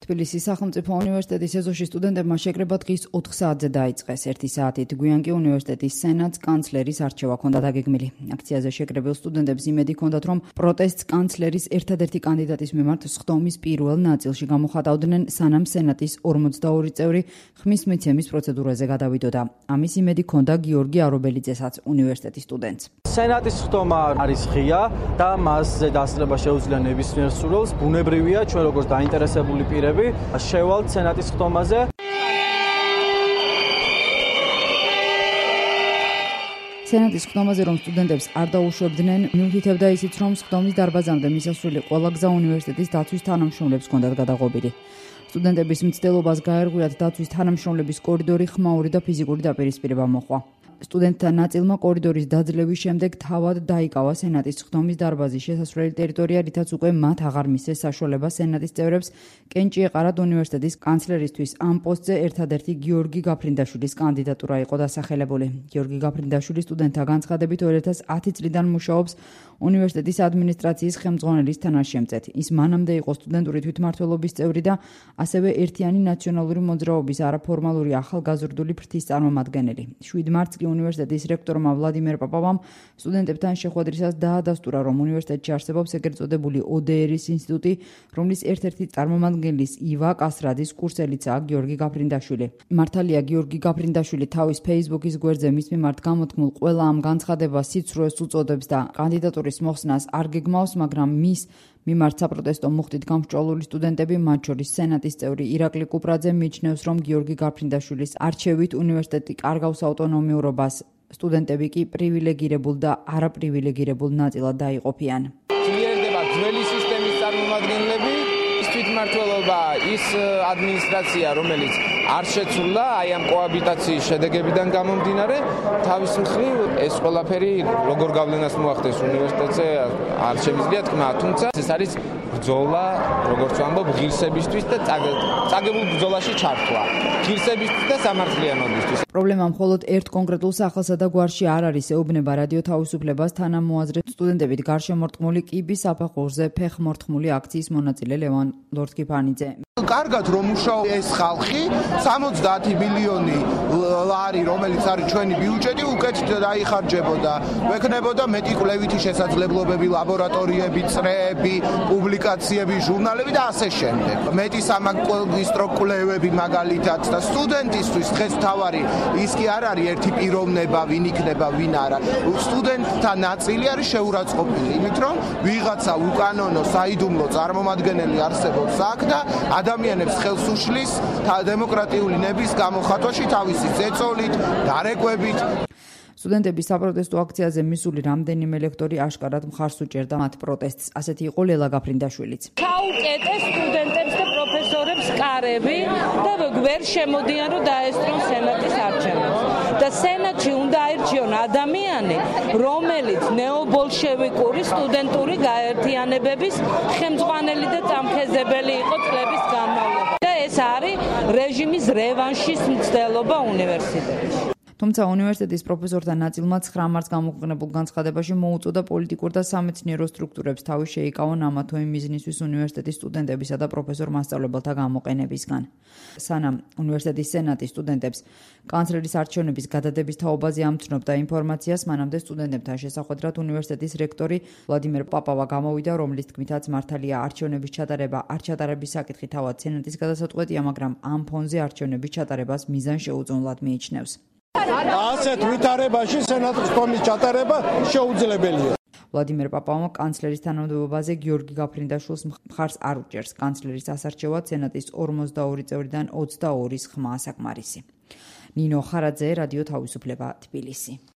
თბილისის სახელმწიფო უნივერსიტეტის ეზოში სტუდენტებმა შეკრება დღის 4 საათზე დაიწყეს. 1 საათით გვიან კი უნივერსიტეტის სენატს კანცლერის არჩევა ჰქონდა დაგეგმილი. აქციაზე შეკრებილ სტუდენტებს იმედი ჰქონდათ, რომ პროტესტს კანცლერის ერთადერთი კანდიდატის მიმართ სხდომის პირველ ნაწილში გამოხატავდნენ, სანამ სენატის 42 წევრი ხმის მიცემის პროცედურაზე გადავიდოდა. ამის იმედი ჰქონდა გიორგი არობელიძესაც, უნივერსიტეტის სტუდენტს. სენატის სხდომა არის ღია და მასზე დასწრება შეუძლია ნებისმიერ სურვილს. ბუნებრივია, ჩვენ როგორც დაინტერესებული პირები შევალთ სენატის სხდომაზე. სენატის სხდომაზე რომ სტუდენტებს არ დაუშვებდნენ, მიუთითებდა ისიც, რომ სხდომის დარბაზამდე მისასვლელი ყველა გზა უნივერსიტეტის დაცვის თანამშრომლებს ჰქონდათ გადაღობილი. სტუდენტების მცდელობას გაერღვიათ დაცვის თანამშრომლების კორიდორი, ხმაური და ფიზიკური დაპირისპირება მოჰყვა. სტუდენტთა ნაწილმა კორიდორის დაძლევის შემდეგ თავად დაიკავა სენატის სხდომის დარბაზის შესასვლელი ტერიტორია, რითაც უკვე მათ აღარ მისცეს საშუალება სენატის წევრებს კენჭი ეყარათ უნივერსიტეტის კანცლერისთვის. ამ პოსტზე ერთადერთი გიორგი გაფრინდაშვილის კანდიდატურა იყო დასახელებული. გიორგი გაფრინდაშვილი სტუდენტთა განცხადებით 2010 წლიდან მუშაობს უნივერსიტეტის ადმინისტრაციის ხელმძღვანელის თანაშემწედ. ის მანამდე იყო სტუდენტური თვითმმართველობის წევრი და ასევე ერთიანი ნაციონალური მოძრაობის არაფორმალური ახალგაზრდული ფრთის წარმომადგენელი. 7 მარტს უნივერსიტეტის რექტორმა ვლადიმერ პაპავამ სტუდენტებთან შეხვედრისას დაადასტურა, რომ უნივერსიტეტში არსებობს ეგრეთ წოდებული ODR-ის ინსტიტუტი, რომლის ერთ-ერთი წარმომადგენლის ива კასრადის კურსელიცაა გიორგი გაფრინდაშვილი. მართალია, გიორგი გაფრინდაშვილი თავის Facebook-ის გვერდზე მის მიმართ გამოთქმულ ყველა ამ განცხადებას სიცრუეს უწოდებს და კანდიდატურის მოხსნას არ გეგმავს, მაგრამ მის მიმართ საპროტესტო მუხტით გამსჭვალული სტუდენტები, მათ შორის სენატის წევრი ირაკლი კუპრაძე მიჩნევს, რომ გიორგი გაფრინდაშვილის არჩევით უნივერსიტეტი კარგავს ავტონომიურობას, სტუდენტები კი პრივილეგირებულ და არაპრივილეგირებულ ნაწილად დაიყოფიან. ძლიერდება ძველი სისტემის წარმომადგენლები, ის თვითმმართველობა, ის ადმინისტრაცია, რომელიც არ შეცვლა აი ამ კოაბიტაციის შედეგებიდან გამომდინარე, თავის მხრივ ეს ყველაფერი როგორ გავლენას მოახდენს უნივერსიტეტზე არ შემიძლია თქმა, თუმცა ეს არის ბრძოლა, როგორც ვამბობ, ღირსებისთვის და წაგებულ ბრძოლაში ჩართვა. ღირსებისთვის და სამართლიანობისთვის. პრობლემა მხოლოდ ერთ კონკრეტულ სახელსა და გვარში არ არის, ეუბნება რადიო თავისუფლებას თანამოაზრე სტუდენტებით გარშემორტყმული კიბის საფეხურზე ფეხმორტყმული აქციის მონაწილე ლევან ლორთქიფანიძე. კარგად რომ მუშაობს ეს ხალხი, 70 მილიონი ლარი, რომელიც არის ჩვენი ბიუჯეტი, უკეთ დაიხარჯებოდა. ვექნებოდა მეტი კვლევითი შესაძლებლობები, ლაბორატორიები, წრეები, პუბლიკაციები, ჟურნალები და ასე შემდეგ. მეტი სამაგისტრო კვლევები მაგალითად და სტუდენტისთვის დღეს თავარი ის კი არ არის ერთი პიროვნება, ვინ იქნება, ვინ არა. სტუდენტთა ნაწილი არის შეურაცხყოფილი, იმით რომ ვიღაცა უკანონო საიდუმლო წარმომადგენელი არსებობს აქ და ადამიანებს ხელს უშლის დემოკრატიული ნების გამოხატვაში თავისი ზეწოლით, დარეკვებით. სტუდენტების საპროტესტო აქციაზე მისული რამდენიმე ლექტორი აშკარად მხარს უჭერდა მათ პროტესტს. ასეთი იყო ლელა გაფრინდაშვილიც. ჩაუკეტეს სტუდენტებს და პროფესორებს კარები და ვერ შემოდიან, რომ დაესწრონ სენატის არჩევნებს. და სენატში უნდა აირჩიონ ადამიანი, რომელიც ნეობოლშევიკური სტუდენტური გაერთიანებების ხელმძღვანელი და წამხეზებელი იყო წლების განმავლობაში. და ეს არის რეჟიმის რევანშის მცდელობა უნივერსიტეტში. თუმცა უნივერსიტეტის პროფესორთა ნაწილმა 9 მარტს გამოქვეყნებულ განცხადებაში მოუწოდა პოლიტიკურ და სამეცნიერო სტრუქტურებს თავი შეიკავონ ამა თუ იმ მიზნისთვის უნივერსიტეტის სტუდენტებისა და პროფესორ-მასწავლებელთა გამოყენებისგან. სანამ უნივერსიტეტის სენატის სტუდენტებს კანცლერის არჩევნების გადადების თაობაზე ამცნობდა ინფორმაციას, მანამდე სტუდენტებთან შესახვედრად უნივერსიტეტის რექტორი ვლადიმერ პაპავა გამოვიდა, რომლის თქმითაც მართალია არჩევნების ჩატარება არ ჩატარების საკითხი თავად სენატის გადასაწყვეტია, მაგრამ ამ ფონზე არჩევნების ჩატარებას მიზან შეუძოვნლად მიიჩნევს. ასეთ ვითარებაში სენატის სხდომის ჩატარება შეუძლებელია. ვლადიმერ პაპავმა კანცლერის თანამდებობაზე გიორგი გაფრინდაშვილს მხარს არ უჭერს. კანცლერის ასარჩევად სენატის 42 წევრიდან 22-ის ხმაა საკმარისი. ნინო ხარაძე, რადიო თავისუფლება, თბილისი.